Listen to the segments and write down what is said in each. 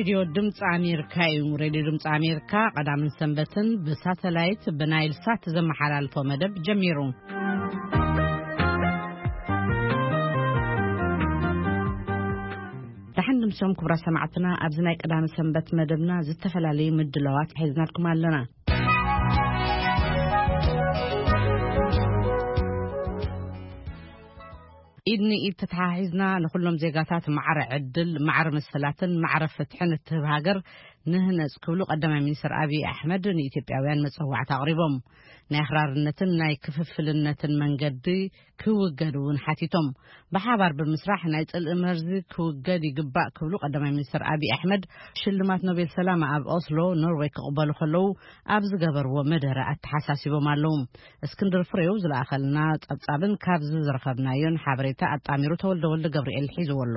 ሬድዮ ድምፂ ኣሜሪካ እዩ። ሬድዮ ድምፂ ኣሜሪካ ቀዳምን ሰንበትን ብሳተላይት ብናይል ሳት ዘመሓላልፎ መደብ ጀሚሩ። ደሓን ድምሶም ክቡራት ሰማዕትና፣ ኣብዚ ናይ ቀዳሚ ሰንበት መደብና ዝተፈላለዩ ምድላዋት ሒዝናልኩም ኣለና። ኢድ ንኢድ ተተሓሒዝና ንኹሎም ዜጋታት ማዕረ ዕድል፣ ማዕረ መሰላትን ማዕረ ፍትሕን እትህብ ሃገር ንህነጽ ክብሉ ቀዳማይ ሚኒስትር ኣብይ ኣሕመድ ንኢትዮጵያውያን መጸዋዕታ ኣቕሪቦም። ናይ ኣኽራርነትን ናይ ክፍፍልነትን መንገዲ ክውገድ እውን ሓቲቶም። ብሓባር ብምስራሕ ናይ ጽልኢ መርዚ ክውገድ ይግባእ ክብሉ ቀዳማይ ሚኒስትር ኣብይ ኣሕመድ ሽልማት ኖቤል ሰላም ኣብ ኦስሎ ኖርዌይ ክቕበሉ ከለዉ ኣብ ዝገበርዎ መደረ ኣተሓሳሲቦም ኣለዉ። እስክንድር ፍሬው ዝለኣኸልና ጸብጻብን ካብዚ ዝረኸብናዮን ሓበሬታ ኣጣሚሩ ተወልደ ወልደ ገብርኤል ሒዝዎ ኣሎ።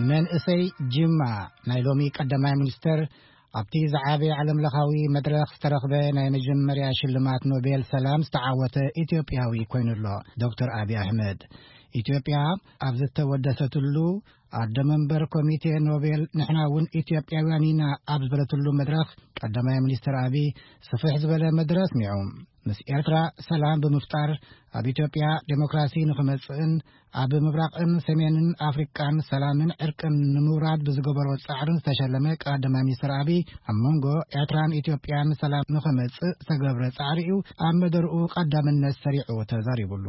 መንእሰይ ጅማ ናይ ሎሚ ቀዳማይ ሚኒስተር ኣብቲ ዝዓበየ ዓለምለኻዊ መድረኽ ዝተረኽበ ናይ መጀመርያ ሽልማት ኖቤል ሰላም ዝተዓወተ ኢትዮጵያዊ ኮይኑ ኣሎ። ዶክተር ኣብይ ኣሕመድ ኢትዮጵያ ኣብ ዝተወደሰትሉ ኣደ መንበር ኮሚቴ ኖቤል ንሕና እውን ኢትዮጵያውያን ኢና ኣብ ዝበለትሉ መድረኽ ቀዳማይ ሚኒስትር ኣብይ ስፍሕ ዝበለ መደረ ኣስሚዑ። ምስ ኤርትራ ሰላም ብምፍጣር ኣብ ኢትዮጵያ ዴሞክራሲ ንኽመጽእን ኣብ ምብራቕን ሰሜንን ኣፍሪቃን ሰላምን ዕርቅን ንምውራድ ብዝገበሮ ጻዕርን ዝተሸለመ ቀዳማይ ሚኒስትር ኣብይ ኣብ መንጎ ኤርትራን ኢትዮጵያን ሰላም ንኽመጽእ ዝተገብረ ጻዕሪ እዩ ኣብ መደርኡ ቀዳምነት ሰሪዑ ተዛሪቡሉ።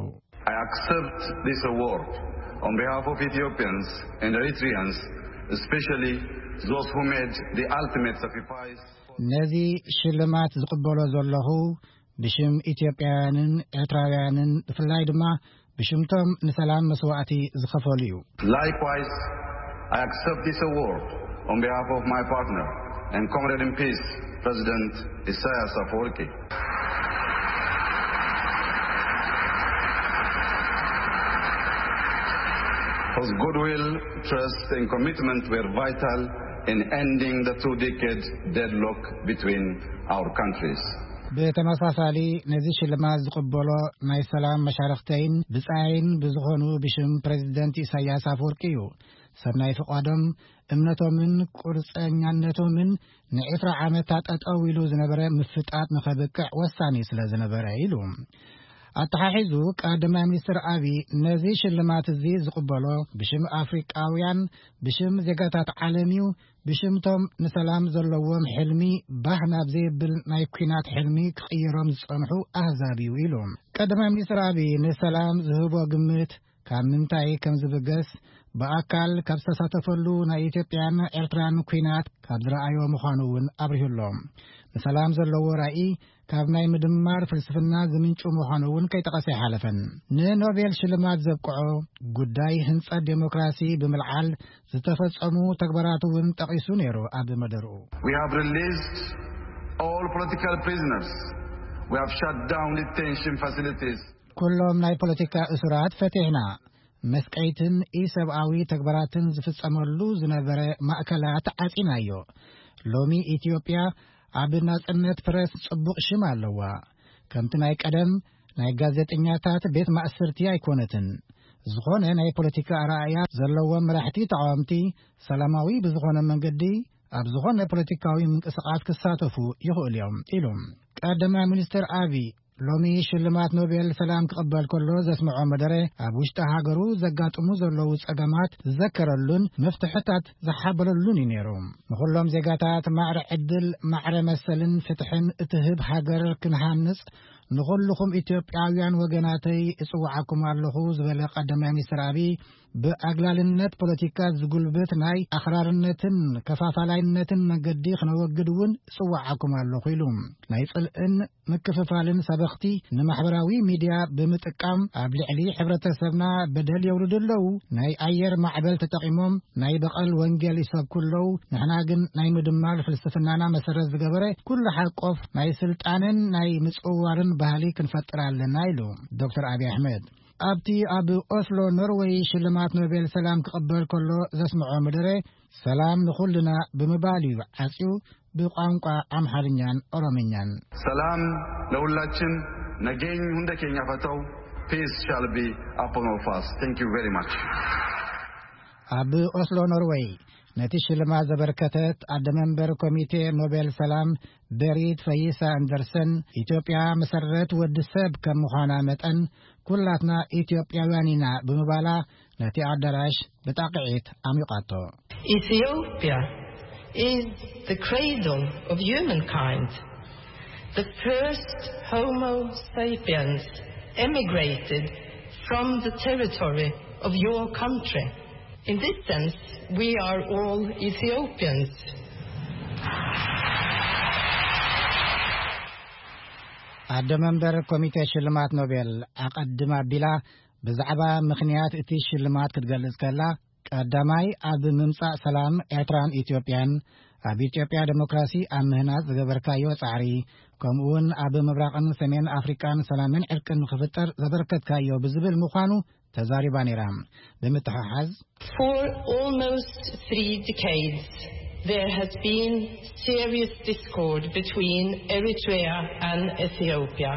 I accept this award on behalf of Ethiopians and Eritreans, especially those who made the ultimate sacrifice. ነዚ ሽልማት ዝቕበሎ ዘለኹ ብሽም ኢትዮጵያውያንን ኤርትራውያንን ብፍላይ ድማ ብሽምቶም ንሰላም መስዋእቲ ዝኸፈሉ እዩ። Likewise, I accept this award on behalf of my partner and comrade in peace, President Isaias Afwerki, whose goodwill, trust and commitment were vital in ending the two-decade deadlock between our countries. ብተመሳሳሊ ነዚ ሽልማት ዝቕበሎ ናይ ሰላም መሻርኽተይን ብጻይን ብዝኾኑ ብሽም ፕሬዚደንት ኢሳያስ ኣፈወርቂ እዩ። ሰናይ ፍቓዶም፣ እምነቶምን ቁርጸኛነቶምን ንዕስራ ዓመታት ጠጠው ኢሉ ዝነበረ ምፍጣጥ ንኸብቅዕ ወሳኒ ስለ ዝነበረ ኢሉ። ኣተሓሒዙ ቀዳማይ ሚኒስትር ኣብይ ነዚ ሽልማት እዚ ዝቕበሎ ብሽም ኣፍሪቃውያን፣ ብሽም ዜጋታት ዓለም እዩ፣ ብሽምቶም ንሰላም ዘለዎም ሕልሚ ባህ ናብ ዘይብል ናይ ኲናት ሕልሚ ክቕይሮም ዝጸንሑ ኣህዛብ እዩ ኢሉ። ቀዳማይ ሚኒስትር ኣብይ ንሰላም ዝህቦ ግምት ካብ ምንታይ ከም ዝብገስ ብኣካል ካብ ዝተሳተፈሉ ናይ ኢትዮጵያን ኤርትራን ኲናት ካብ ዝረኣዮ ምዃኑ እውን ኣብሪሁሎም። ንሰላም ዘለዎ ራእይ ካብ ናይ ምድማር ፍልስፍና ዝምንጩ ምዃኑ እውን ከይጠቐሰ ኣይሓለፈን። ንኖቤል ሽልማት ዘብቅዖ ጉዳይ ህንጸት ዴሞክራሲ ብምልዓል ዝተፈጸሙ ተግባራት እውን ጠቒሱ ነይሩ። ኣብ መደርኡ We have released all political prisoners. We have shut down detention facilities. ኩሎም ናይ ፖለቲካ እሱራት ፈቲሕና፣ መስቀይትን ኢሰብኣዊ ተግባራትን ዝፍጸመሉ ዝነበረ ማእከላት ዓጺናዮ። ሎሚ ኢትዮጵያ ኣብ ናጽነት ፕረስ ጽቡቕ ሽም ኣለዋ። ከምቲ ናይ ቀደም ናይ ጋዜጠኛታት ቤት ማእስርቲ ኣይኮነትን። ዝኾነ ናይ ፖለቲካ ኣረኣእያ ዘለዎም መራሕቲ ተቓወምቲ ሰላማዊ ብዝኾነ መንገዲ ኣብ ዝኾነ ፖለቲካዊ ምንቅስቓስ ክሳተፉ ይኽእሉ እዮም ኢሉ። ቀዳማይ ሚኒስትር ኣብይ ሎሚ ሽልማት ኖቤል ሰላም ክቕበል ከሎ ዘስምዖ መደረ ኣብ ውሽጢ ሃገሩ ዘጋጥሙ ዘለዉ ጸገማት ዝዘከረሉን መፍትሕታት ዝሓበረሉን እዩ ነይሩ። ንኹሎም ዜጋታት ማዕረ ዕድል፣ ማዕረ መሰልን ፍትሕን እትህብ ሃገር ክንሃንጽ ንኹልኹም ኢትዮጵያውያን ወገናተይ እጽውዓኩም ኣለኹ ዝበለ ቀዳማይ ሚኒስትር ኣብይ ብኣግላልነት ፖለቲካ ዝጉልብት ናይ ኣኽራርነትን ከፋፋላይነትን መንገዲ ክነወግድ እውን እጽውዓኩም ኣለኹ ኢሉ። ናይ ጽልእን ምክፍፋልን ሰበኽቲ ንማሕበራዊ ሚድያ ብምጥቃም ኣብ ልዕሊ ሕብረተሰብና በደል የውርዱ ኣለዉ። ናይ ኣየር ማዕበል ተጠቒሞም ናይ በቐል ወንጌል ይሰብኩ ኣለዉ። ንሕና ግን ናይ ምድማር ፍልስፍናና መሰረት ዝገበረ ኩሉ ሓቆፍ ናይ ስልጣንን ናይ ምጽውዋርን ባህሊ ክንፈጥር ኣለና ኢሉ ዶክተር ኣብይ ኣሕመድ። ኣብቲ ኣብ ኦስሎ ኖርወይ ሽልማት ኖቤል ሰላም ክቕበል ከሎ ዘስምዖ መደረ ሰላም ንኹልና ብምባል እዩ ዓጽዩ ብቋንቋ ኣምሓርኛን ኦሮምኛን። ሰላም ለሁላችን፣ ነገኝ ሁንደ ኬኛ ፈተው፣ Peace shall be upon all of us. Thank you very much. ኣብ ኦስሎ ኖርወይ ነቲ ሽልማት ዘበርከተት ኣደ መንበር ኮሚቴ ኖቤል ሰላም ቤሪት ፈይሳ ኣንደርሰን፣ ኢትዮጵያ መሰረት ወዲ ሰብ ከም ምዃና መጠን ኩላትና ኢትዮጵያውያን ኢና ብምባላ ነቲ ኣዳራሽ ብጣቕዒት ዓሚቓቶ። Ethiopia is the cradle of humankind. The first Homo sapiens emigrated from the territory of your country. In this sense, we are all Ethiopians. ኣደ መንበር ኮሚቴ ሽልማት ኖቤል ኣቐድም ኣቢላ ብዛዕባ ምኽንያት እቲ ሽልማት ክትገልጽ ከላ፣ ቀዳማይ ኣብ ምምጻእ ሰላም ኤርትራን ኢትዮጵያን፣ ኣብ ኢትዮጵያ ዴሞክራሲ ኣብ ምህናጽ ዝገበርካዮ ጻዕሪ፣ ከምኡውን ኣብ ምብራቕን ሰሜን ኣፍሪቃን ሰላምን ዕርቅን ንኽፍጠር ዘበርከትካዮ ብዝብል ምዃኑ ተዛሪባ ነይራ። ብምትሕሓዝ For almost three decades, there has been serious discord between Eritrea and Ethiopia,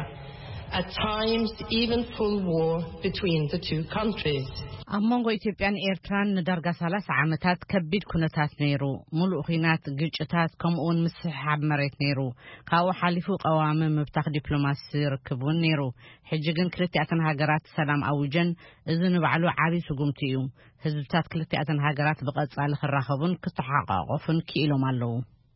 at times even full war between the two countries. ኣብ መንጎ ኢትዮጵያን ኤርትራን ንዳርጋ ሰላሳ ዓመታት ከቢድ ኩነታት ነይሩ። ሙሉእ ኹናት፣ ግጭታት፣ ከምኡውን ምስሕሓብ መሬት ነይሩ። ካብኡ ሓሊፉ ቀዋሚ ምብታኽ ዲፕሎማሲ ርክብ እውን ነይሩ። ሕጂ ግን ክልቲኣተን ሃገራት ሰላም ኣዊጀን፣ እዚ ንባዕሉ ዓቢ ስጉምቲ እዩ። ህዝብታት ክልቲኣተን ሃገራት ብቐጻሊ ክራኸቡን ክተሓቋቆፉን ክኢሎም ኣለዉ።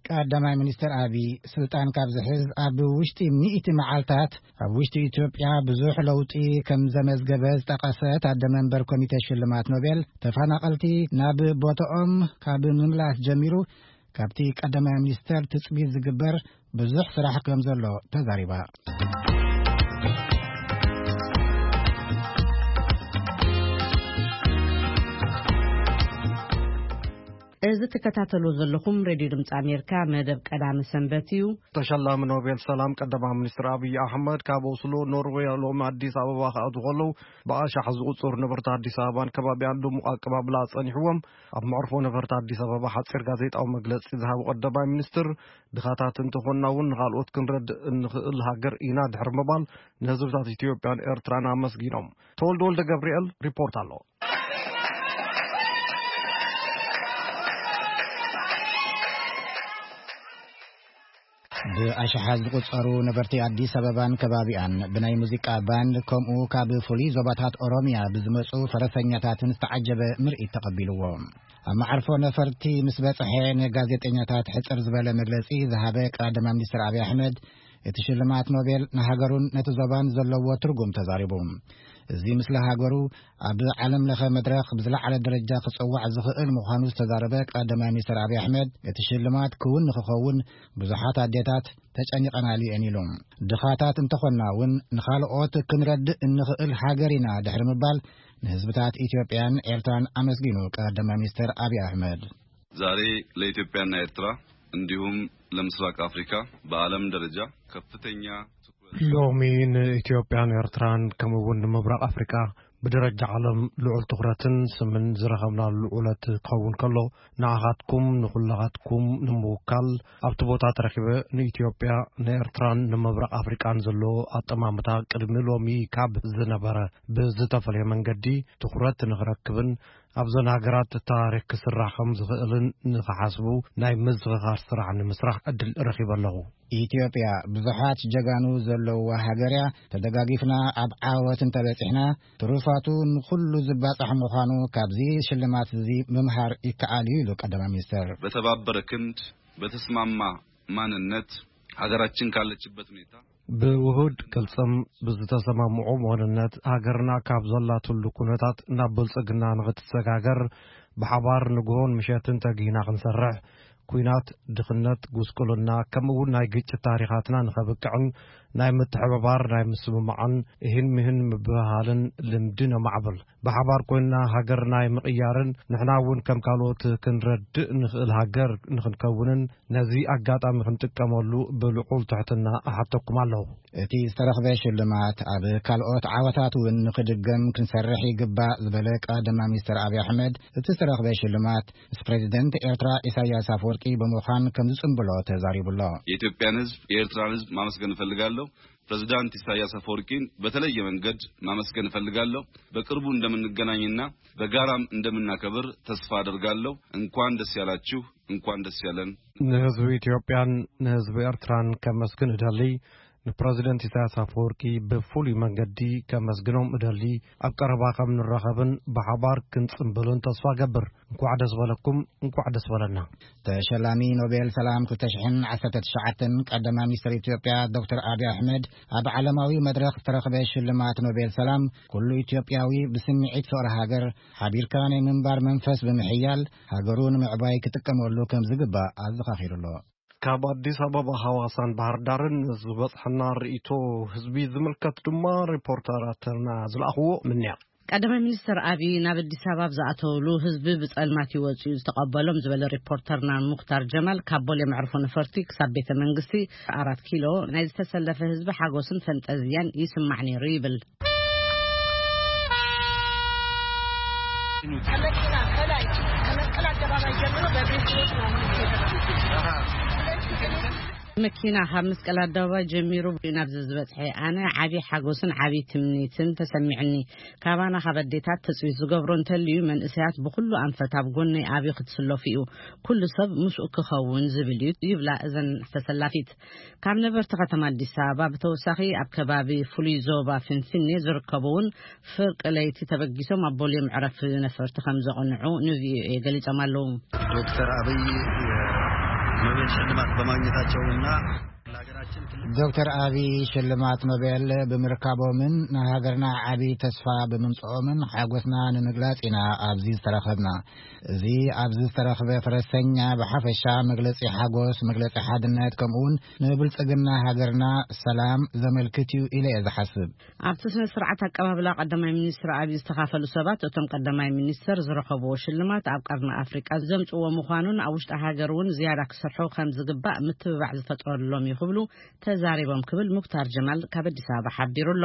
ቀዳማይ ሚኒስትር ኣቢ፣ ስልጣን ካብ ዝሕዝ ኣብ ውሽጢ ሚእቲ መዓልታት ኣብ ውሽጢ ኢትዮጵያ ብዙሕ ለውጢ ከም ዘመዝገበ ዝጠቐሰት ኣደ መንበር ኮሚቴ ሽልማት ኖቤል፣ ተፈናቐልቲ ናብ ቦታኦም ካብ ምምላስ ጀሚሩ ካብቲ ቀዳማይ ሚኒስተር ትጽቢት ዝግበር ብዙሕ ስራሕ ከም ዘሎ ተዛሪባ። እዚ ትከታተሉ ዘለኹም ሬድዮ ድምፂ ኣሜሪካ መደብ ቀዳመ ሰንበት እዩ። ተሸላሚ ኖቤል ሰላም ቀዳማይ ሚኒስትር ኣብይ ኣሕመድ ካብ ኦስሎ ኖርዌይ ሎሚ ኣዲስ ኣበባ ክኣትዉ ከለዉ ብኣሻሕ ዝቑጸሩ ነበርቲ ኣዲስ ኣበባን ከባቢኣን ድሙቕ ኣቀባብላ ጸኒሕዎም። ኣብ መዕርፎ ነፈርቲ ኣዲስ ኣበባ ሓጺር ጋዜጣዊ መግለጺ ዝሃቡ ቀዳማይ ሚኒስትር፣ ድኻታት እንተኾንና እውን ንኻልኦት ክንረድእ እንኽእል ሃገር ኢና ድሕሪ ምባል ንህዝብታት ኢትዮጵያን ኤርትራን ኣመስጊኖም። ተወልደ ወልደ ገብርኤል ሪፖርት ኣሎ። ብኣሽሓት ዝቑጸሩ ነበርቲ ኣዲስ ኣበባን ከባቢኣን ብናይ ሙዚቃ ባንድ ከምኡ ካብ ፍሉይ ዞባታት ኦሮምያ ብዝመጹ ፈረሰኛታትን ዝተዓጀበ ምርኢት ተቐቢልዎ። ኣብ መዓርፎ ነፈርቲ ምስ በጽሐ ንጋዜጠኛታት ሕጽር ዝበለ መግለጺ ዝሃበ ቀዳማይ ሚኒስትር ኣብይ ኣሕመድ፣ እቲ ሽልማት ኖቤል ንሃገሩን ነቲ ዞባን ዘለዎ ትርጉም ተዛሪቡ። እዚ ምስሊ ሃገሩ ኣብ ዓለም ለኸ መድረኽ ብዝለዓለ ደረጃ ክጽዋዕ ዝኽእል ምዃኑ ዝተዛረበ ቀዳማይ ሚኒስትር ኣብይ ኣሕመድ፣ እቲ ሽልማት ክውን ንክኸውን ብዙሓት ኣዴታት ተጨኒቐናሉ እየን ኢሉ። ድኻታት እንተኾንና እውን ንኻልኦት ክንረድእ እንኽእል ሃገር ኢና ድሕሪ ምባል ንህዝብታት ኢትዮጵያን ኤርትራን ኣመስጊኑ ቀዳማይ ሚኒስትር ኣብይ ኣሕመድ። ዛሬ ለኢትዮጵያና ኤርትራ እንዲሁም ለምስራቅ አፍሪካ በዓለም ደረጃ ከፍተኛ ትኩረት ሎሚ ንኢትዮጵያን ኤርትራን ከምኡ እውን ንምብራቕ ኣፍሪቃ ብደረጃ ዓለም ልዑል ትኹረትን ስምን ዝረኸብናሉ ዕለት ክኸውን ከሎ፣ ንዓኻትኩም ንኹላኻትኩም ንምውካል ኣብቲ ቦታ ተረኺበ ንኢትዮጵያ፣ ንኤርትራን ንምብራቕ ኣፍሪቃን ዘሎ ኣጠማምታ ቅድሚ ሎሚ ካብ ዝነበረ ብዝተፈለየ መንገዲ ትኹረት ንኽረክብን ኣብዘን ሃገራት ታሪኽ ክስራሕ ከም ዝኽእልን ንኽሓስቡ ናይ ምዝኽኻር ስራሕ ንምስራሕ ዕድል ረኺበ ኣለኹ። ኢትዮጵያ ብዙሓት ጀጋኑ ዘለውዋ ሃገር እያ። ተደጋጊፍና ኣብ ዓወት እንተበጺሕና፣ ትሩፋቱ ንኹሉ ዝባጻሕ ምዃኑ ካብዚ ሽልማት እዚ ምምሃር ይከኣል እዩ ኢሉ ቀዳማይ ሚኒስትር። በተባበረ ክንድ፣ በተስማማ ማንነት ሀገራችን ካለችበት ሁኔታ ብውሁድ ቅልጽም ብዝተሰማምዑ መወንነት ሃገርና ካብ ዘላትሉ ኩነታት ናብ ብልጽግና ንኽትሰጋገር ብሓባር ንግሆን ምሸትን ተጊህና ክንሰርሕ፣ ኲናት፣ ድኽነት፣ ጉስቁልና፣ ከምኡ እውን ናይ ግጭት ታሪኻትና ንኸብቅዕን ናይ ምትሕብባር፣ ናይ ምስምማዕን እሂን ምሂን ምብህሃልን ልምዲ ነማዕብል። ብሓባር ኮይንና ሃገር ናይ ምቕያርን ንሕና እውን ከም ካልኦት ክንረድእ ንኽእል ሃገር ንኽንከውንን ነዚ ኣጋጣሚ ክንጥቀመሉ ብልዑል ትሕትና እሓተኩም ኣለኹ። እቲ ዝተረኽበ ሽልማት ኣብ ካልኦት ዓወታት እውን ንኽድገም ክንሰርሕ ይግባእ ዝበለ ቀዳማይ ሚኒስትር ኣብይ ኣሕመድ፣ እቲ ዝተረኽበ ሽልማት ምስ ፕሬዚደንት ኤርትራ ኢሳያስ ኣፈወርቂ ሓቂ ብምዃን ከም ዝጽንብሎ ተዛሪቡ ኣሎ። የኢትዮጵያን ህዝብ፣ የኤርትራን ህዝብ ማመስገን እፈልጋለሁ። ፕሬዝዳንት ኢሳያስ አፈወርቂን በተለየ መንገድ ማመስገን እፈልጋለሁ። በቅርቡ እንደምንገናኝና በጋራም እንደምናከብር ተስፋ አደርጋለሁ። እንኳን ደስ ያላችሁ፣ እንኳን ደስ ያለን። ንህዝቢ ኢትዮጵያን ንህዝቢ ኤርትራን ከመስግን እደሊ። ንፕረዚደንት ኢሳያስ ኣፈወርቂ ብፍሉይ መንገዲ ከመስግኖም እደሊ። ኣብ ቀረባ ከም ንራኸብን ብሓባር ክንጽንብልን ተስፋ ገብር። እንኳዕ ደስ በለኩም፣ እንኳዕ ደስ በለና። ተሸላሚ ኖቤል ሰላም ክልተ ሽሕን ዓሰርተ ትሽዓተን ቀዳማይ ሚኒስትር ኢትዮጵያ ዶክተር ኣብይ ኣሕመድ ኣብ ዓለማዊ መድረኽ ዝተረኽበ ሽልማት ኖቤል ሰላም፣ ኩሉ ኢትዮጵያዊ ብስምዒት ፍቕሪ ሃገር ሓቢርካ ናይ ምንባር መንፈስ ብምሕያል፣ ሃገሩ ንምዕባይ ክጥቀመሉ ከም ዝግባእ ኣዘኻኺሩ ኣሎ። ካብ ኣዲስ ኣበባ፣ ሃዋሳን ባህር ዳርን ዝበጽሐና ርእይቶ ህዝቢ ዝምልከት ድማ ሪፖርተራትና ዝለኣኽዎ ምንያ። ቀዳማይ ሚኒስትር ኣብይ ናብ ኣዲስ ኣበባ ኣብ ዝኣተውሉ ህዝቢ ብጸልማት ይወጽኡ ዝተቐበሎም ዝበለ ሪፖርተርና ሙክታር ጀማል፣ ካብ ቦሌ መዕርፎ ነፈርቲ ክሳብ ቤተ መንግስቲ ኣራት ኪሎ ናይ ዝተሰለፈ ህዝቢ ሓጎስን ፈንጠዝያን ይስማዕ ነይሩ ይብል። ከመኪና ከላይ ከመስቀል አደባባይ ጀምሮ በእግሬ ስሮጥ ነው የምንሄደው። ስለዚህ እኔ መኪና ካብ መስቀል ኣደባባይ ጀሚሩ ናብዚ ዝበጽሐ ኣነ ዓቢ ሓጎስን ዓቢ ትምኒትን ተሰሚዕኒ። ካባና ካብ ኣዴታት ትጽቢት ዝገብሮ እንተልዩ መንእሰያት ብኹሉ ኣንፈት ኣብ ጎነይ ኣብዩ ክትስለፉ እዩ። ኩሉ ሰብ ምስኡ ክኸውን ዝብል እዩ ይብላ እዘን ተሰላፊት። ካብ ነበርቲ ከተማ ኣዲስ ኣበባ ብተወሳኺ ኣብ ከባቢ ፍሉይ ዞባ ፍንፍኔ ዝርከቡ እውን ፍርቂ ለይቲ ተበጊሶም ኣብ ቦሌ መዕረፊ ነፈርቲ ከም ዘቕንዑ ንቪኦኤ ገሊጾም ኣለዉ። ዶክተር አብይ የኖቤል ሽልማት በማግኘታቸውና ለሀገራችን ትልቅ ዶክተር አብይ ሽልማት ኖቤል ብምርካቦምን ንሃገርና ዓቢ ተስፋ ብምምጽኦምን ሓጎስና ንምግላጽ ኢና ኣብዚ ዝተረኸብና። እዚ ኣብዚ ዝተረኽበ ፈረሰኛ ብሓፈሻ መግለጺ ሓጎስ፣ መግለጺ ሓድነት፣ ከምኡውን ንብልጽግና ሃገርና ሰላም ዘመልክት እዩ ኢለ እየ ዝሓስብ። ኣብቲ ስነ ስርዓት ኣቀባብላ ቀዳማይ ሚኒስትር ኣብይ ዝተኻፈሉ ሰባት፣ እቶም ቀዳማይ ሚኒስትር ዝረኸብዎ ሽልማት ኣብ ቀርኒ ኣፍሪቃ ዘምጽዎ ምዃኑን ኣብ ውሽጢ ሃገር እውን ዝያዳ ክሰርሑ ከም ዝግባእ ምትብባዕ ዝፈጥረሎም እዩ ክብሉ ተዛሪቦም ክብል ሙክታር ጀማል ካብ ኣዲስ ኣበባ ሓቢሩ ኣሎ።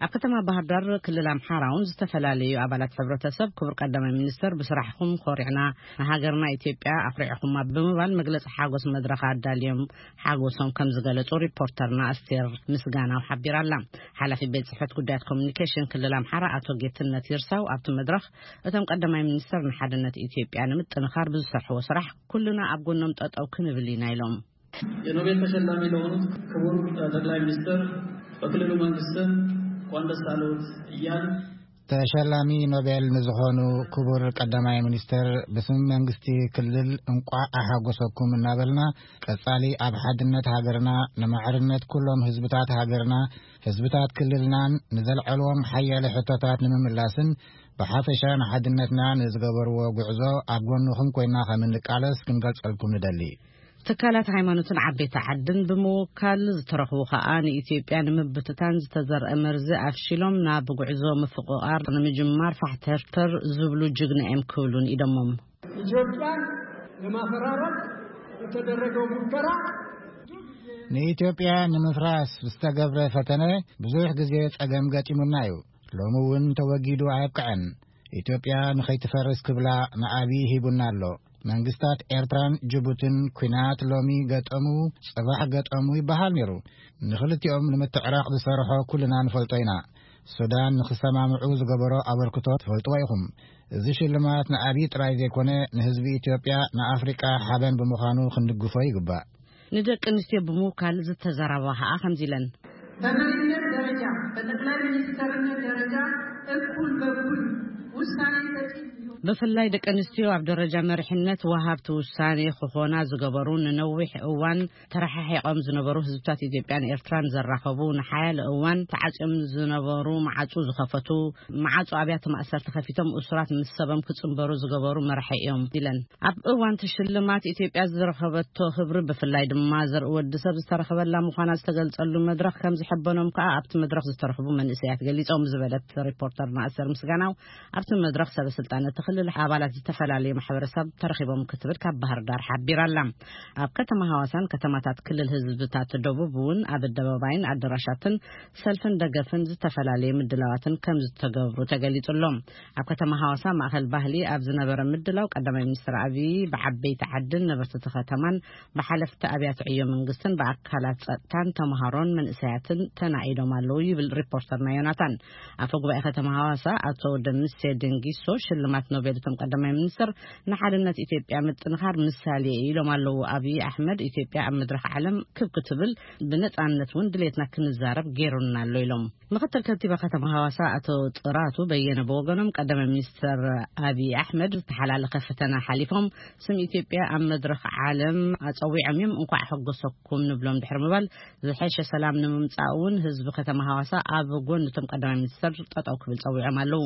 ኣብ ከተማ ባህር ዳር ክልል ኣምሓራ እውን ዝተፈላለዩ ኣባላት ሕብረተሰብ ክቡር ቀዳማይ ሚኒስትር ብስራሕኹም ኮሪዕና፣ ንሃገርና ኢትዮጵያ ኣኹሪዕኹማ ብምባል መግለጺ ሓጎስ መድረኽ ኣዳልዮም ሓጎሶም ከም ዝገለጹ ሪፖርተርና ኣስቴር ምስጋናው ሓቢራ ኣላ። ሓላፊ ቤት ጽሕፈት ጉዳያት ኮሚኒኬሽን ክልል ኣምሓራ ኣቶ ጌትነት ይርሳው ኣብቲ መድረኽ፣ እቶም ቀዳማይ ሚኒስትር ንሓድነት ኢትዮጵያ ንምጥንኻር ብዝሰርሕዎ ስራሕ ኩልና ኣብ ጎኖም ጠጠው ክንብል ኢና ኢሎም። የኖቤል ተሸላሚ ለሆኑት ክቡር ጠቅላይ ሚኒስትር በክልሉ መንግስት ስም እንኳን ደስ አለዎት እያል ተሸላሚ ኖቤል ንዝኾኑ ክቡር ቀዳማይ ሚኒስትር ብስም መንግስቲ ክልል እንቋዕ ኣሓጎሰኩም እናበልና፣ ቀጻሊ ኣብ ሓድነት ሃገርና፣ ንማዕርነት ኩሎም ህዝብታት ሃገርና፣ ህዝብታት ክልልናን ንዘልዐልዎም ሓያለ ሕቶታት ንምምላስን ብሓፈሻ ንሓድነትና ንዝገበርዎ ጉዕዞ ኣብ ጎንኹም ኮይና ከም እንቃለስ ክንገልጸልኩም ንደሊ። ትካላት ሃይማኖትን ዓበይቲ ዓድን ብምውካል ዝተረኽቡ ከኣ ንኢትዮጵያ ንምብትታን ዝተዘርአ መርዚ ኣፍሺሎም ናብ ጉዕዞ ምፍቕቓር ንምጅማር ፋሕተርተር ዝብሉ ጅግና እዮም ክብሉን ኢዶሞም። ኢትዮጵያን ለማፈራረስ በተደረገው ሙከራ ንኢትዮጵያ ንምፍራስ ዝተገብረ ፈተነ ብዙሕ ግዜ ጸገም ገጢሙና እዩ። ሎሚ እውን ተወጊዱ ኣየብቅዐን። ኢትዮጵያ ንኸይትፈርስ ክብላ ንኣብይ ሂቡና ኣሎ። መንግስታት ኤርትራን ጅቡትን ኲናት ሎሚ ገጠሙ፣ ጽባሕ ገጠሙ ይበሃል ነይሩ። ንኽልቲኦም ንምትዕራቕ ዝሰርሖ ኩልና ንፈልጦ ኢና። ሱዳን ንኽሰማምዑ ዝገበሮ ኣበርክቶ ትፈልጥዎ ኢኹም። እዚ ሽልማት ንኣብይ ጥራይ ዘይኮነ፣ ንህዝቢ ኢትዮጵያ፣ ንኣፍሪቃ ሓበን ብምዃኑ ክንድግፎ ይግባእ። ንደቂ ኣንስትዮ ብምውካል ዝተዘረባ ኸኣ ከምዚ ኢለን። በመሪነት ደረጃ፣ በጠቅላይ ሚኒስትርነት ደረጃ እኩል በኩል ውሳኔ ሰጪ እንዲሆን ብፍላይ ደቂ ኣንስትዮ ኣብ ደረጃ መሪሕነት ወሃብቲ ውሳኔ ክኾና ዝገበሩ፣ ንነዊሕ እዋን ተረሓሒቖም ዝነበሩ ህዝብታት ኢትዮጵያን ኤርትራን ዘራኸቡ፣ ንሓያለ እዋን ተዓጽዮም ዝነበሩ መዓጹ ዝኸፈቱ፣ መዓጹ ኣብያተ ማእሰርቲ ከፊቶም እሱራት ምስ ሰቦም ክጽንበሩ ዝገበሩ መራሒ እዮም ኢለን። ኣብ እዋን እቲ ሽልማት ኢትዮጵያ ዝረኸበቶ ክብሪ ብፍላይ ድማ ዘርኢ ወዲ ሰብ ዝተረኸበላ ምዃና ዝተገልጸሉ መድረኽ ከም ዝሕበኖም ከኣ ኣብቲ መድረኽ ዝተረኽቡ መንእሰያት ገሊጾም ዝበለት ሪፖርተርና ኣሰር ምስጋናው፣ ኣብቲ መድረኽ ሰበ ስልጣን እቲ ልል ኣባላት ዝተፈላለዩ ማሕበረሰብ ተረኺቦም ክትብል ካብ ባህር ዳር ሓቢራ ኣላ። ኣብ ከተማ ሃዋሳን ከተማታት ክልል ህዝብታት ደቡብ እውን ኣብ ኣደባባይን ኣደራሻትን ሰልፍን ደገፍን ዝተፈላለየ ምድላዋትን ከም ዝተገብሩ ተገሊጹ ኣሎ። ኣብ ከተማ ሃዋሳ ማእኸል ባህሊ ኣብ ዝነበረ ምድላው ቀዳማይ ሚኒስትር ኣብይ ብዓበይቲ ዓድን ነበርቲ እቲ ከተማን ብሓለፍቲ ኣብያተ ዕዮ መንግስትን ብኣካላት ጸጥታን ተምሃሮን መንእሰያትን ተናኢዶም ኣለዉ ይብል ሪፖርተርና ዮናታን። ኣፈ ጉባኤ ከተማ ሃዋሳ ኣቶ ደምሴ ድንጊሶ ሽልማት ኖቤል እቶም ቀዳማይ ሚኒስትር ንሓድነት ኢትዮጵያ ምጥንኻር ምሳሌ ኢሎም ኣለዉ። ኣብይ ኣሕመድ ኢትዮጵያ ኣብ መድረኽ ዓለም ክብ ክትብል ብነጻነት እውን ድሌትና ክንዛረብ ገይሩና ኣሎ ኢሎም። ምኽትል ከንቲባ ከተማ ሃዋሳ ኣቶ ጥራቱ በየነ ብወገኖም ቀዳማይ ሚኒስትር ኣብይ ኣሕመድ ዝተሓላለኸ ፈተና ሓሊፎም ስም ኢትዮጵያ ኣብ መድረኽ ዓለም ኣጸዊዖም እዮም። እንኳዕ ሓጎሰኩም ንብሎም ድሕሪ ምባል ዝሐሸ ሰላም ንምምጻእ እውን ህዝቢ ከተማ ሃዋሳ ኣብ ጎኒ እቶም ቀዳማይ ሚኒስትር ጠጠው ክብል ጸዊዖም ኣለዉ።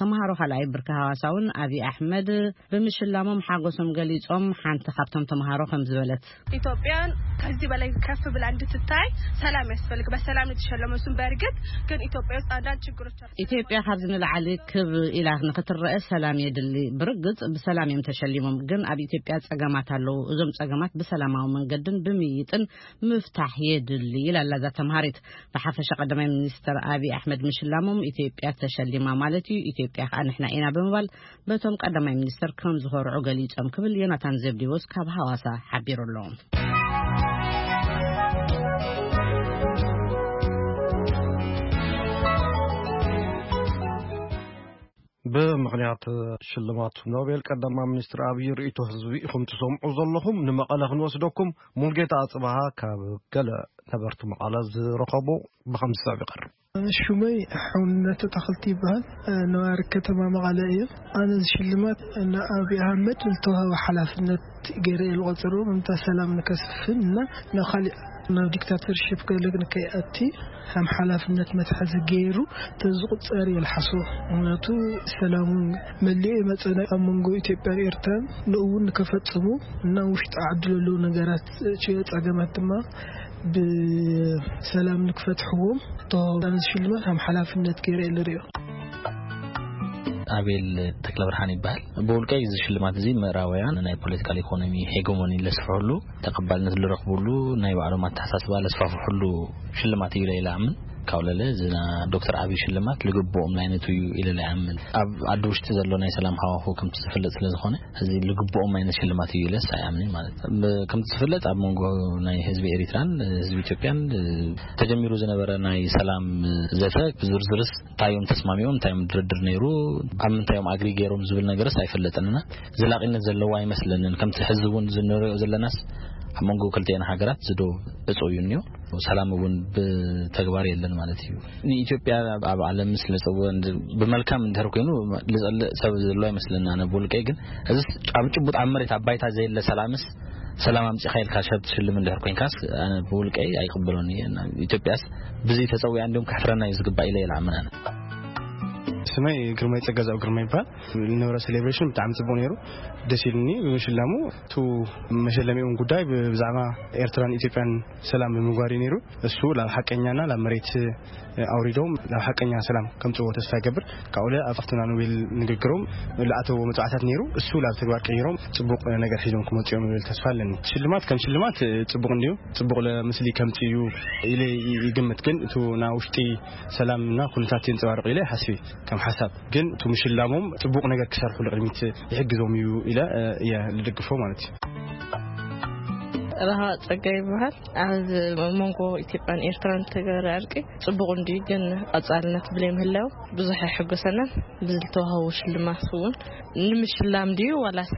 ተምሃሮ ካልኣይ ብርኪ ሃዋሳ እውን ኣብይ ኣሕመድ ብምሽላሞም ሓጎሶም ገሊጾም። ሓንቲ ካብቶም ተምሃሮ ከም ዝበለት ኢትዮጵያን ከዚህ በላይ ከፍ ብላ እንድትታይ ሰላም ያስፈልግ። በሰላም የተሸለመ እሱም በእርግጥ ግን ኢትዮጵያ ውስጥ አንዳንድ ችግሮች አሉ። ኢትዮጵያ ካብዚ ንላዕሊ ክብ ኢላ ንክትረአ ሰላም የድሊ። ብርግጽ ብሰላም እዮም ተሸሊሞም፣ ግን ኣብ ኢትዮጵያ ጸገማት ኣለዉ። እዞም ጸገማት ብሰላማዊ መንገድን ብምይጥን ምፍታሕ የድሊ ኢላ ኣላ እዛ ተምሃሪት። ብሓፈሻ ቀዳማይ ሚኒስትር ኣብይ ኣሕመድ ምሽላሞም ኢትዮጵያ ተሸሊማ ማለት እዩ፣ ኢትዮጵያ ከዓ ንሕና ኢና ብምባል በቶም ቀዳማይ ሚኒስትር ከም ዝኾርዑ ገሊጾም ክብል ዮናታን ዘብዲዎስ ካብ ሃዋሳ ሓቢሩ ኣሎ። ብምኽንያት ሽልማት ኖቤል ቀዳማይ ሚኒስትር ኣብይ ርእይቶ ህዝቢ ኢኹም ትሰምዑ ዘለኹም። ንመቐለ ክንወስደኩም። ሙልጌታ ኣጽብሃ ካብ ገለ ነበርቲ መቐለ ዝረኸቦ ብኸምዚ ሰብ ይቐርብ። ሽመይ ሕውነት ተኽልቲ ይበሃል። ነባሪ ከተማ መቐለ እየ። ኣነ እዚ ሽልማት ንኣብይ ኣሕመድ ዝተዋህበ ሓላፍነት ገይረ እየ ዝቖጽሮ። ምምታ ሰላም ንከስፍን እና ናብ ካሊእ ናብ ዲክታተርሽፕ ገለ ንከይኣቲ ከም ሓላፍነት መትሓዚ ገይሩ ተዝቑጸር እየ ዝሓስቦ። ምኽንያቱ ሰላም እውን መሊኡ ይመጸና ኣብ መንጎ ኢትዮጵያን ኤርትራን ንእውን ንከፈጽሙ እና ውሽጢ ዓዲ ዘለዉ ነገራት ችዮ ጸገማት ድማ ብሰላም ንክፈትሕዎም ተዋህቦ ሽልማት ከም ሓላፍነት ገይረ እየ ዝርእዮ። ኣቤል ተክለ ብርሃን ይበሃል። ብውልቀይ እዚ ሽልማት እዚ ምዕራባውያን ናይ ፖለቲካል ኢኮኖሚ ሄጎሞኒ ለስፍሕሉ፣ ተቐባልነት ዝረኽብሉ፣ ናይ ባዕሎም ኣተሓሳስባ ለስፋፍሕሉ ሽልማት እዩ ኢለ ይኣምን። ካብ ለለ እዚ ና ዶክተር ኣብይ ሽልማት ልግብኦም ላይነቱ እዩ ኢለ ይኣምን። ኣብ ዓዲ ውሽጢ ዘሎ ናይ ሰላም ሃዋሁ ከምቲ ዝፍለጥ ስለ ዝኾነ፣ እዚ ልግብኦም ዓይነት ሽልማት እዩ ኢለስ ኣይኣምንን ማለት እዩ። ብ-፣ ከምቲ ዝፍለጥ ኣብ መንጎ ናይ ህዝቢ ኤሪትራን ህዝቢ ኢትዮጵያን ተጀሚሩ ዝነበረ ናይ ሰላም ዘተ ብዝርዝርስ እንታይ እዮም ተስማሚኦም፣ እንታይ እዮም ድርድር ነይሩ፣ ኣብ ምንታይ እዮም ኣግሪ ገይሮም ዝብል ነገርስ ኣይፈለጥንና። ዘላቒነት ዘለዎ ኣይመስለንን። ከምቲ ሕዚ እውን ዝንሪኦ ዘለናስ ኣብ መንጎ ክልቲኤን ሃገራት ዝዶ ዕጹ እዩ እኒኦ። ሰላም እውን ብተግባር የለን ማለት እዩ። ንኢትዮጵያ ኣብ ዓለም ስለ ዝጸውዕ እንድ-፣ ብመልካም እንድሕር ኮይኑ ዝጸልእ ሰብ ዘሎ ኣይመስለና። ኣነ ብውልቀይ ግን እዚ ኣብ ጭቡጥ ኣብ መሬት ኣብ ባይታ ዘየለ ሰላምስ ሰላም ኣምጺኻ ኢልካ ሰብ ትሽልም እንድሕር ኮይንካስ ኣነ ብውልቀይ ኣይቅበሎን እየ። እና ኢትዮጵያስ ብዚ ተጸዊዓ እንዲሁም ከሕፍረና እዩ ዝግባእ ኢለ ይልዓምን ኣነ። ስመይ ግርማይ ጸጋዛው ግርማ ይባል። ዝነበረ ሴሌብሬሽን ብጣዕሚ ጽቡቅ ነይሩ። ደስ ኢሉኒ ብምሽላሙ። እቱ መሸለሚኡን ጉዳይ ብ-፣ ብዛዕባ ኤርትራን ኢትዮጵያን ሰላም ብምግባር እዩ ነይሩ። እሱ ላብ ሓቀኛና ላብ መሬት ኣውሪዶም ላብ ሓቀኛ ሰላም ከምጽዎ ተስፋ ይገብር። ካብኡለ ኣብትና ኖቤል ንግግሮም ለኣተዎ መጽዋዕታት ነይሩ። እሱ ላብ ተግባር ቀይሮም ጽቡቅ ነገር ሒዞም ክመጽኡ እዮም ዝብል ተስፋ ኣለኒ። ሽልማት ከም ሽልማት ጽቡቅ እንድዩ። ጽቡቅ ለምስሊ ከምጽእ እዩ ኢለ ይግምት። ግን እቱ ና ውሽጢ ሰላምና ኩነታት የንጸባርቕ ኢለ ሓስቢ። ከም ሓሳብ ግን እቱ ምሽላሞም ጽቡቅ ነገር ክሰርሑ ንቅድሚት ይሕግዞም እዩ ኢለ እየ ዝድግፎ ማለት እዩ። ረሃ ጸጋይ ይበሃል። ኣብ መንጎ ኢትዮጵያን ኤርትራን ዝተገበረ ዕርቂ ጽቡቕ እንድዩ፣ ግን ቀጻልነት ብለይ ምህላው ብዙሕ ኣይሕጎሰናን። ብዝተዋህቦ ሽልማት እውን ንምሽላም ድዩ ዋላስ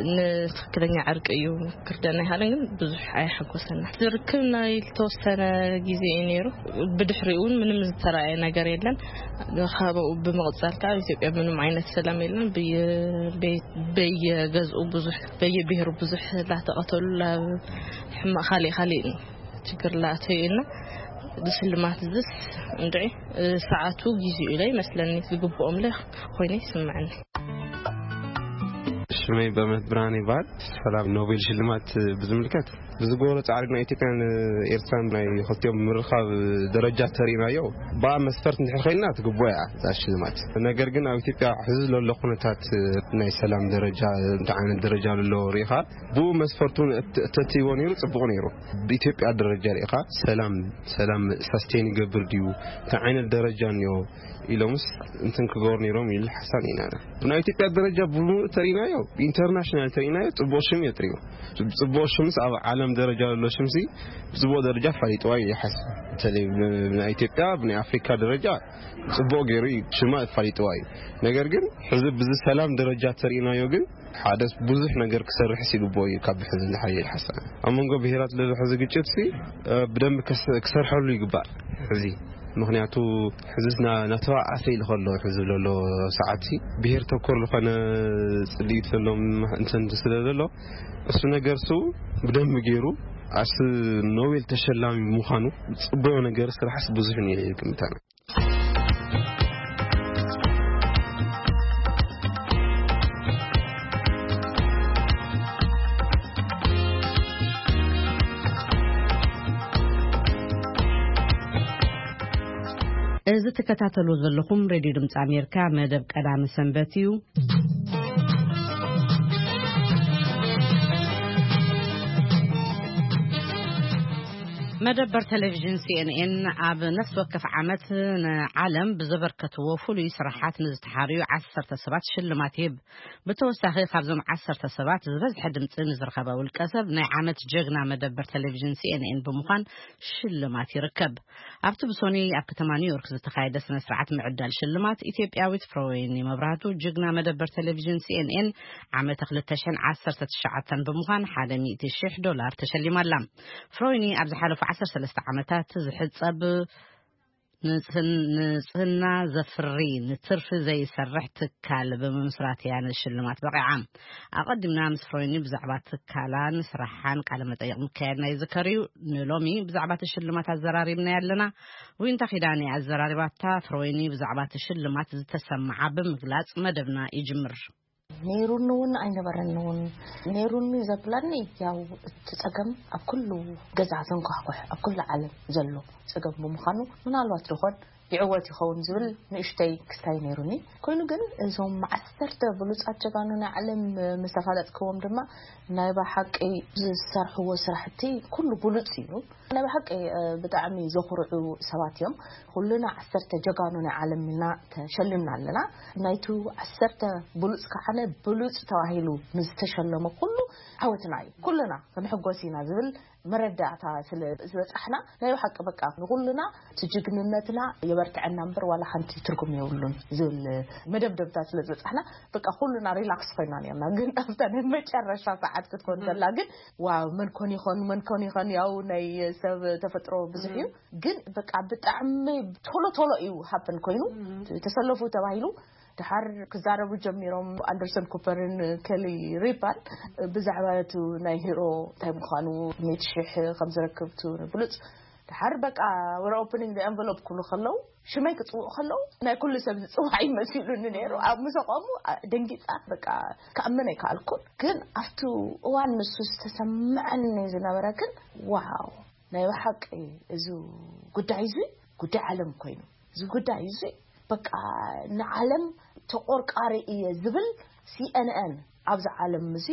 ንትኽክለኛ ዕርቂ እዩ ክርደና ይሃለን፣ ግን ብዙሕ ኣይሓጎሰና። ዝርክብ ናይ ዝተወሰነ ግዜ እዩ ነይሩ። ብድሕሪኡ እውን ምንም ዝተረኣየ ነገር የለን። ካብኡ ብምቕጻል ከዓ ኣብ ኢትዮጵያ ምንም ዓይነት ሰላም የለን። ብየ-፣ በየ-፣ በየገዝኡ ብዙሕ፣ በየብሔሩ ብዙሕ ላተቐተሉ፣ ላ-፣ ሕማቕ ካሊእ ካሊእ ችግር ላተዩ እና ዝስልማት ዝስ እንድዒ ሰዓቱ ጊዜኡ ኢለ ይመስለኒ፣ ዝግብኦም ለ ኮይነ ይስምዐኒ። ሽመይ በእምነት ብርሃን ይበሃል። ሰላም ኖቤል ሽልማት ብዝምልከት ብዝገበሮ ጻዕሪ ናይ ኢትዮጵያን ኤርትራን ናይ ክልቲኦም ምርኻብ ደረጃ ተሪእናዮ፣ ብኣ መስፈርት እንድሕር ኮይና ትግቦ እያ እዛ ሽልማት። ነገር ግን ኣብ ኢትዮጵያ ሕዚ ዘሎ ኩነታት ናይ ሰላም ደረጃ እንታይ ዓይነት ደረጃ ኣሎ ርኢኻ፣ ብኡ መስፈርቱ ተትይቦ ነይሩ ጽቡቕ ነይሩ። ብኢትዮጵያ ደረጃ ርኢኻ ሰላም ሰላም ሳስቴን ይገብር ድዩ፣ እንታይ ዓይነት ደረጃ እኒኦ ኢሎምስ እንትን ክገብሩ ነይሮም ኢሉ ሓሳብ ኢና። ብናይ ኢትዮጵያ ደረጃ ብምሉእ ተሪናዮ፣ ኢንተርናሽናል ተሪናዮ፣ ጽቡቕ ሽም እዮ ጥሪቡ። ጽቡቕ ሽምስ ኣብ ዓለም ደረጃ ዘሎ ሽምሲ ብጽቡቕ ደረጃ ኣፋሊጥዋ እዩ ይሓስብ። በተለይ ብናይ ኢትዮጵያ ብናይ ኣፍሪካ ደረጃ ጽቡቕ ገይሩ እዩ ሽማ ኣፋሊጥዋ እዩ። ነገር ግን ሕዚ ብዚ ሰላም ደረጃ ተሪናዮ ግን ሓደ ብዙሕ ነገር ክሰርሕ ይግባኦ እዩ። ካብ ሕዚ ንሓይል ሓሳብ ኣብ መንጎ ብሄራት ለሎ ሕዚ ግጭት ሲ ብደንብ ክሰርሐሉ ይግባእ። ሕዚ ምክንያቱ ሕዚ ናተባኣሰ ኢሉ ከሎ ሕዚ ዘሎ ሰዓት ሲ ብሄር ተኮር ዝኾነ ጽልኢት ዘሎም እንትን ስለ ዘሎ እሱ ነገር ሱ ብደንብ ገይሩ ኣስ ኖቤል ተሸላሚ ምዃኑ ጽቡቕ ነገር ስራሕስ ብዙሕ እዩ ግምታና። እዚ ትከታተሉ ዘለኹም ሬድዮ ድምፂ ኣሜሪካ መደብ ቀዳሚ ሰንበት እዩ። መደበር ቴሌቪዥን ሲኤንኤን ኣብ ነፍሲ ወከፍ ዓመት ንዓለም ብዘበርከትዎ ፍሉይ ስራሓት ንዝተሓርዩ ዓሰርተ ሰባት ሽልማት ይህብ። ብተወሳኺ ካብዞም ዓሰርተ ሰባት ዝበዝሐ ድምፂ ንዝረኸበ ውልቀ ሰብ ናይ ዓመት ጀግና መደበር ቴሌቪዥን ሲኤንኤን ብምዃን ሽልማት ይርከብ። ኣብቲ ብሶኒ ኣብ ከተማ ኒውዮርክ ዝተኻየደ ስነ ስርዓት ምዕዳል ሽልማት ኢትዮጵያዊት ፍሮወይኒ መብራህቱ ጅግና መደበር ቴሌቪዥን ሲኤንኤን ዓመተ ክልተ ሽሕን ዓሰርተ ትሽዓተን ብምዃን ሓደ ሚእቲ ሽሕ ዶላር ተሸሊማ ኣላ። ፍሮይኒ ኣብ ዝሓለፉ ዓሰርተ ሰለስተ ዓመታት ዝሕጸብ ንጽህን- ንጽህና ዘፍሪ ንትርፊ ዘይሰርሕ ትካል ብምምስራት እያ ንሽልማት በቂዓ። ኣቐዲምና ምስ ፍሮይኒ ብዛዕባ ትካላን ስራሓን ቃለ መጠይቕ ምክያድና ይዝከር እዩ። ንሎሚ ብዛዕባ እቲ ሽልማት ኣዘራሪብና ኣለና። ዊንታ ኪዳነ ኣዘራሪባታ። ፍሮይኒ ብዛዕባ እቲ ሽልማት ዝተሰምዓ ብምግላጽ መደብና ይጅምር። ነይሩኒ እውን ኣይነበረኒ እውን። ነይሩኒ ዘብላኒ ያው እቲ ጸገም ኣብ ኩሉ ገዛ ዘንኳሕኩሕ ኣብ ኩሉ ዓለም ዘሎ ጸገም ብምዃኑ ምናልባት ድኾን ይዕወት ይኸውን ዝብል ንእሽተይ ክስታይ ነይሩኒ። ኮይኑ ግን እዞም ዓሰርተ ብሉጻት ጀጋኑ ናይ ዓለም ምስ ኣፋለጥክዎም ድማ ናይ ብሓቂ ዝሰርሕዎ ስራሕቲ ኩሉ ብሉጽ እዩ። ናይ ብሓቂ ብጣዕሚ ዘኹርዑ ሰባት እዮም። ኩልና ዓሰርተ ጀጋኑ ናይ ዓለም ኢልና ተሸሊምና ኣለና። ናይቱ ዓሰርተ ብሉጽ ከዓነ ብሉጽ ተባሂሉ ንዝተሸለመ ኩሉ ዓወትና እዩ። ኩልና ክንሕጎስ ኢና ዝብል መረዳእታ ስለ ዝበጻሕና ናይ ብሓቂ በቃ ንኹልና እቲ ጅግንነትና የበርትዐና እምበር ዋላ ሓንቲ ትርጉም የብሉን ዝብል መደብደብታ ስለ ዝበጻሕና በቃ ኩልና ሪላክስ ኮይና ነርና። ግን ኣብታ ናይ መጨረሻ ሰዓት ክትኮን ከላ ግን ዋው መን ኮን ይኾን መን ኮን ይኾን ያው ናይ ሰብ ተፈጥሮ ብዙሕ እዩ። ግን በቃ ብጣዕሚ ቶሎ ቶሎ እዩ ሃፕን ኮይኑ ተሰለፉ ተባሂሉ ድሓር ክዛረቡ ጀሚሮም ኣንደርሰን ኩፐርን ኬሊ ሪፓን ብዛዕባ እቲ ናይ ሂሮ እንታይ ምዃኑ ሚእቲ ሽሕ ከም ዝረክብ እቲ ብሉፅ ድሓር በቃ ወረ ኦፕኒንግ ኤንቨሎፕ ክብሉ ከለዉ ሽመይ ክፅውዑ ከለዉ ናይ ኩሉ ሰብ ዝፅዋዕ ይመሲሉኒ ነይሩ ኣብ ምሰቆሙ ደንጊፃ በቃ ክኣምን ኣይከኣልኩን ግን ኣብቲ እዋን ንሱ ዝተሰምዐኒ ዝነበረ ግን ዋው ናይ ብሓቂ እዚ ጉዳይ እዚ ጉዳይ ዓለም ኮይኑ እዚ ጉዳይ እዚ በቃ ንዓለም ተቆርቃሪ እየ ዝብል ሲኤንኤን ኣብዚ ዓለም እዚ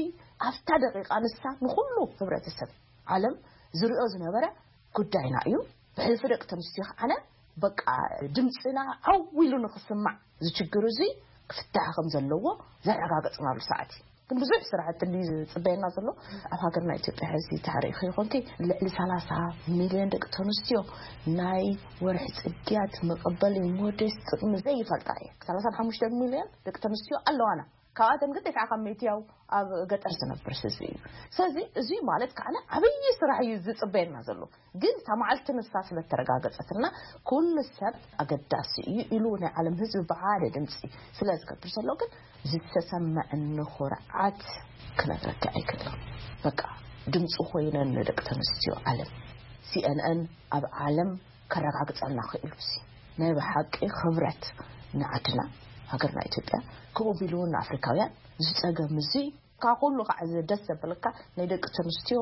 ኣብታ ደቂቃ ንሳ ንኩሉ ህብረተሰብ ዓለም ዝሪኦ ዝነበረ ጉዳይና እዩ። ብሕልፊ ደቂ ተንስትዮ ከዓነ በቃ ድምፅና ዓው ኢሉ ንክስማዕ ዝችግር እዚ ክፍታሕ ከም ዘለዎ ዘረጋገፅናሉ ሰዓት እዩ። ግን ብዙሕ ስራሕቲ እንዲ ዝፅበየና ዘሎ ኣብ ሃገርና ኢትዮጵያ ሕዚ ታሪክ ይኮንኪ ልዕሊ ሰላሳ ሚሊዮን ደቂ ተንስትዮ ናይ ወርሒ ፅግያት መቀበሊ ሞዴስ ጥቅሚ ዘይፈልጣ እየ። ሰላሳን ሓሙሽተ ሚሊዮን ደቂ ተንስትዮ ኣለዋና። ካብኣተን ግን ተስዓ ካብ ሚእቲ ያው ኣብ ገጠር ዝነብር ህዝቢ እዩ። ስለዚ እዚ ማለት ከዓነ ዓብዪ ስራሕ እዩ ዝፅበየና ዘሎ። ግን እታ መዓልቲ ንሳ ስለተረጋገፀትና ኩሉ ሰብ ኣገዳሲ እዩ ኢሉ ናይ ዓለም ህዝቢ ብሓደ ድምፂ ስለ ዝገብር ዘሎ ግን ዝተሰመዐኒ ኩርዓት ክነግረካ ኣይክእልን። በቃ ድምፂ ኮይነን ንደቂ ተንስትዮ ዓለም ሲኤንኤን ኣብ ዓለም ከረጋግፀልና ክኢሉ ሲ ናይ ብሓቂ ክብረት ንዓድና ሃገርና ኢትዮጵያ ከምኡ ቢሉ እውን ንኣፍሪካውያን ዝፀገም እዚ ካብ ኩሉ ከዓ እዚ ደስ ዘበለካ ናይ ደቂ ተንስትዮ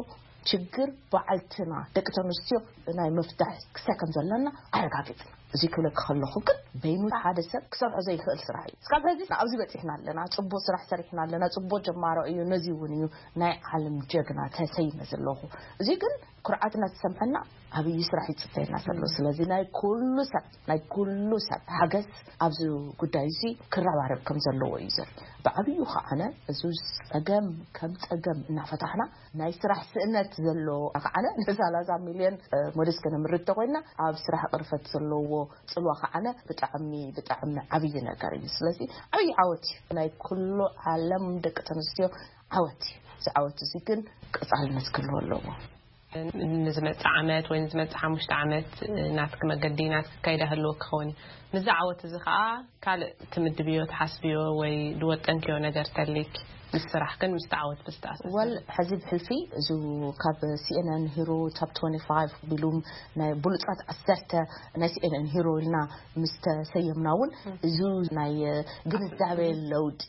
ችግር በዓልትና ደቂ ተንስትዮ ናይ ምፍታሕ ክሳይ ከም ዘለና ኣረጋጊጽና። እዚ ክብለኪ ከለኹ ግን በይኑ ሓደ ሰብ ክሰርሖ ዘይክእል ስራሕ እዩ። እስካብ ሕዚ ኣብዚ በፂሕና ኣለና፣ ፅቡቅ ስራሕ ሰሪሕና ኣለና፣ ፅቡቅ ጀማሮ እዩ፣ ነዚ እውን እዩ ናይ ዓለም ጀግና ተሰይመ ዘለኹ። እዚ ግን ኩርዓትና ዝሰምዐና ዓብዪ ስራሕ ይፅበየና ዘሎ። ስለዚ ናይ ኩሉ ሰብ ናይ ኩሉ ሰብ ሓገዝ ኣብዚ ጉዳይ እዚ ክረባረብ ከም ዘለዎ እዩ ዘርኢ። ብዓብዩ ከዓነ እዚ ፀገም ከም ፀገም እናፈታሕና ናይ ስራሕ ስእነት ዘሎ ከዓነ ንሰላሳ ሚልዮን ሞዴስ ከነምርት ተኮይና ኣብ ስራሕ ቅርፈት ዘለዎ ፅልዋ ከዓነ ብጣዕሚ ብጣዕሚ ዓብዪ ነገር እዩ። ስለዚ ዓብዪ ዓወት እዩ፣ ናይ ኩሉ ዓለም ደቂ ተንስትዮ ዓወት እዩ። እዚ ዓወት እዚ ግን ቀፃልነት ክህልዎ ኣለዎ። ንዝመጽእ ዓመት ወይ ንዝመጽእ ሓሙሽተ ዓመት ናትኪ መገዲ ናትኪ ካይዳ ህልወ ክኸውን እዩ። ምስዚ ዓወት እዚ ከዓ ካልእ ትምድብዮ ትሓስብዮ ወይ ዝወጠንክዮ ነገር ተሊክ ምስ ስራሕክን ምስ ተዓወት ብዝተኣሳሰር? ወል ሕዚ ብሕልፊ እዚ ካብ CNN Hero Top twenty-five ቢሉም ናይ ብሉጻት ዓሰርተ ናይ CNN Hero ኢልና ምስ ተሰየምና እውን እዚ ናይ ግንዛቤ ለውጢ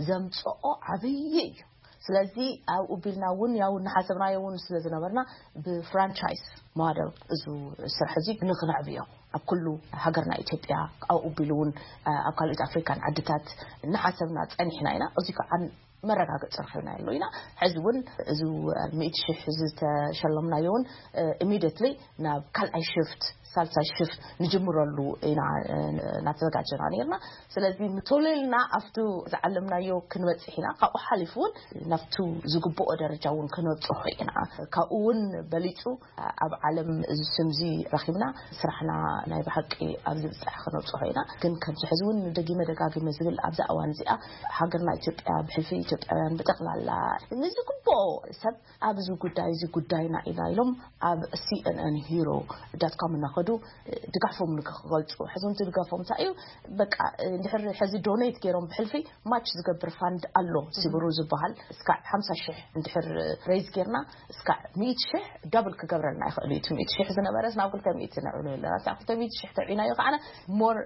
ዘምጽኦ ዓብዪ እዩ። ስለዚ ኣብኡ ቢልና እውን ያው እናሓሰብናዮ እውን ስለ ዝነበርና ብፍራንቻይዝ ሞደል እዚ ስራሕ እዚ ንክነዕብዮ ኣብ ኩሉ ሃገርና ኢትዮጵያ ኣብኡ ቢሉ እውን ኣብ ካልኦት ኣፍሪካን ዓድታት እናሓሰብና ፀኒሕና ኢና። እዚ ከዓ መረጋገፂ ረኺብና ኣሎ ኢና። ሕዚ እውን እዚ ሚእቲ ሽሕ ዝተሸለምናዮ እውን ኢሚዲየትሊ ናብ ካልኣይ ሽፍት ሳልሳይ ሽፍት ንጅምረሉ ኢና እናተዘጋጀና ነርና። ስለዚ ቶሎ ኢልና ኣብቲ ዝዓለምናዮ ክንበፅሕ ኢና። ካብኡ ሓሊፉ እውን ናብቲ ዝግብኦ ደረጃ እውን ክንበፅሖ ኢና። ካብኡ እውን በሊፁ ኣብ ዓለም እዚ ስምዚ ረኺብና ስራሕና ናይ ብሓቂ ኣብ ዝብፃሕ ክነብፅሖ ኢና። ግን ከምዚ ሕዚ እውን ደጊመ ደጋጊመ ዝብል ኣብዛ እዋን እዚኣ ሃገርና ኢትዮጵያ ብሕልፊ ኢትዮጵያውያን ብጠቕላላ ንዝግብኦ ሰብ ኣብዚ ጉዳይ እዚ ጉዳይና ኢና ኢሎም ኣብ CNN Hero dot com እናኸዱ ድጋፎም ንክገልፁ። ሕዚ እውን ድጋፎም እንታይ እዩ? በቃ እንድሕር ሕዚ ዶኔት ገይሮም ብሕልፊ ማች ዝገብር ፋንድ ኣሎ ሲብሩ ዝበሃል እስካዕ ሓምሳ ሽሕ እንድሕር ሬይዝ ጌርና እስካዕ ሚእቲ ሽሕ ዳብል ክገብረልና ይኽእል እዩ። እቲ ሚእቲ ሽሕ ዝነበረስ ናብ ክልተ ሚእቲ ነዕብሎ ኣለና። እስካዕ ክልተ ሚእቲ ሽሕ ተዕብናዮ ከዓነ ሞር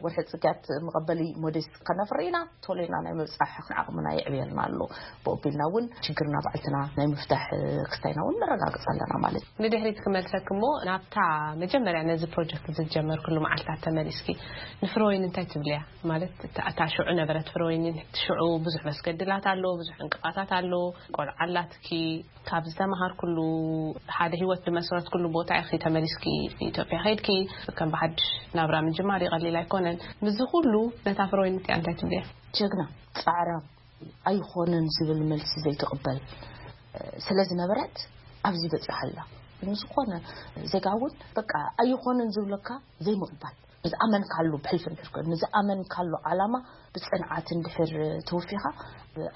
ወርሒ ፅግያት መቐበሊ ሞዴስ ከነፍሪ ኢና። ቶሎ ኢልና ናይ ምብፃሕ ዓቕምና የዕብየልና ኣሎ። ብኦቢልና እውን ችግርና ባዕልትና ናይ ምፍታሕ ክስታይና እውን ነረጋግፅ ኣለና ማለት እዩ። ንድሕሪት ክመልሰክ እሞ ናብታ መጀመርያ ነዚ ፕሮጀክት ዝጀመርክሉ መዓልታት ተመሊስኪ ንፍረወይኒ እንታይ ትብልያ? ማለት እታ ሽዑ ነበረት ፍረወይኒ ሽዑ ብዙሕ መስገድላት ኣሎ፣ ብዙሕ ዕንቅፋታት ኣሎ። ቆልዓ ኣላትኪ፣ ካብ ዝተምሃርክሉ ሓደ ህይወት ዝመስረትክሉ ቦታ ኢኺ ተመሊስኪ ኢትዮጵያ ከይድኪ ከም ብሓድሽ ናብራ ምጅማር ይቐሊል ኣይኮነን። ምስዚ ኩሉ ነታ ፍረወይኒ እቲኣ እንታይ ትብልያ? ጀግና፣ ፃዕራም፣ ኣይኾነን ዝብል መልሲ ዘይትቕበል ስለ ዝነበረት ኣብዚ በፂሓ ኣላ። ንዝኾነ ዜጋ እውን በቃ ኣይኾነን ዝብለካ ዘይምቕባል፣ ንዝኣመንካሉ ብሕልፊ እንድሕር ኮይኑ ንዝኣመንካሉ ዓላማ ብፅንዓት እንድሕር ተወፊኻ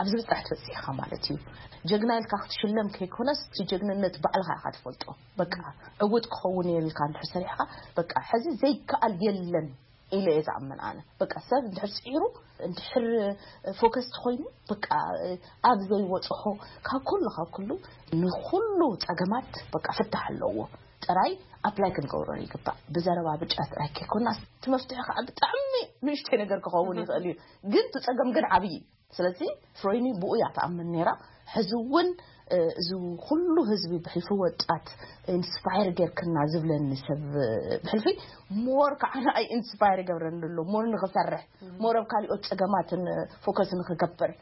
ኣብዚ ብፅራሕ ትበፅሕ ኢኻ ማለት እዩ። ጀግና ኢልካ ክትሽለም ከይኮነስ እቲ ጀግንነት ባዕልኻ ኢኻ ትፈልጦ። በቃ ዕውት ክኸውን እየ ኢልካ እንድሕር ሰሪሕኻ በቃ ሕዚ ዘይከኣል የለን ኢለ እየ ዝኣምን ኣነ። በቃ ሰብ እንድሕር ፅዒሩ እንድሕር ፎከስ ተኮይኑ በቃ ኣብ ዘይወፅሖ ካብ ኩሉ ካብ ኩሉ ንኩሉ ፀገማት በቃ ፍታሕ ኣለዎ። ጥራይ ኣፕላይ ክንገብሮ ይግባእ። ብዘረባ ብጫ ጥራይ ከይኮና እቲ መፍትሒ ከዓ ብጣዕሚ ንእሽተይ ነገር ክኸውን ይኽእል እዩ፣ ግን እቲ ፀገም ግን ዓብዪ እዩ። ስለዚ ፍሮይኒ ብኡ እያ ትኣምን ነይራ። ሕዚ እውን እዚ ኩሉ ህዝቢ ብሕልፊ ወጣት ኢንስፓየር ጌርክና ዝብለኒ ሰብ ብሕልፊ ሞር ከዓ ንኣይ ኢንስፓየር ይገብረኒ ኣሎ ሞር ንክሰርሕ ሞር ኣብ ካሊኦት ፀገማትን ፎከስ ንክገብር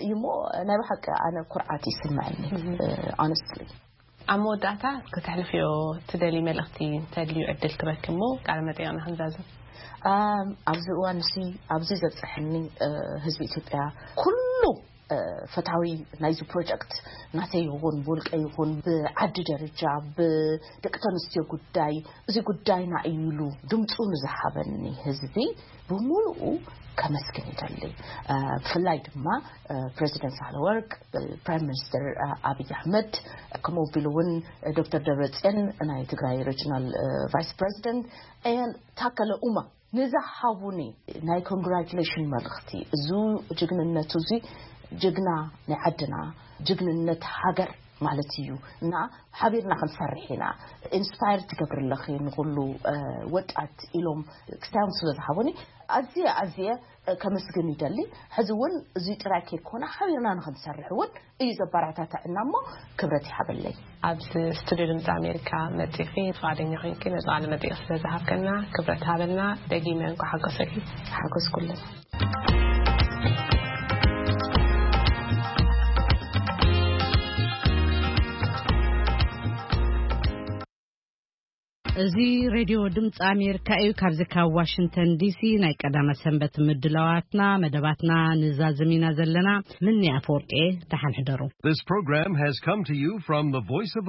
እዩ እሞ ናይ ብሓቂ ኣነ ኩርዓት ይስምዐኒ ኣነስትሊ። ኣብ መወዳእታ ክተሕልፍዮ ትደሊ መልእኽቲ እንተድልዩ ዕድል ክበኪ እሞ ቃለ መጠይቕና ክንዛዝም። ኣብዚ እዋን እዚ ኣብዚ ዘብፀሐኒ ህዝቢ ኢትዮጵያ ኩሉ ፈታዊ ናይዚ ፕሮጀክት ናተይ ይኹን ብውልቀ ይኹን ብዓዲ ደረጃ ብደቂ ተንስትዮ ጉዳይ እዚ ጉዳይና እዩ ኢሉ ድምፁ ንዝሃበኒ ህዝቢ ብምሉኡ ከመስግን ይደሊ። ብፍላይ ድማ ፕሬዚደንት ሳህለወርቅ፣ ፕራይም ሚኒስትር ኣብይ ኣሕመድ ከምኡ ቢሉ እውን ዶክተር ደብረፅዮን ናይ ትግራይ ሪጅናል ቫይስ ፕሬዚደንት ን ታከለ ኡማ ንዝሃቡኒ ናይ ኮንግራቹሌሽን መልእኽቲ እዚ ጅግንነቱ እዚ ጅግና ናይ ዓድና ጅግንነት ሃገር ማለት እዩ። እና ሓቢርና ክንሰርሕ ኢና። ኢንስፓየር ትገብሪ ኣለኺ ንኹሉ፣ እ፣ ወጣት ኢሎም ክስታዮም ስለ ዝሃቡኒ ኣዝየ ኣዝየ፣ እ፣ ከመስግን ይደሊ። ሕዚ እውን እዚ ጥራይ ከይኮነ ሓቢርና ንክንሰርሕ እውን እዩ ዘበረታታዕና እሞ ክብረት ይሃበለይ። ኣብዚ ስቱዲዮ ድምፂ ኣሜሪካ መፂኺ ፍቓደኛ ኮይንኪ ነዚ ቃለ መጠይቕ ስለ ዝሃብከና ክብረት ሃበልና። ደጊመ እንኳ ሓጎሰኪ። ሓጎስኩለን። እዚ ሬድዮ ድምፂ ኣሜሪካ እዩ። ካብዚ ካብ ዋሽንግተን ዲሲ ናይ ቀዳመ ሰንበት ምድላዋትና፣ መደባትና ንዛዝም ኢና ዘለና። ምኒ ኣፈወርቂ፣ ደሓን ሕደሩ። This program has come to you from the Voice of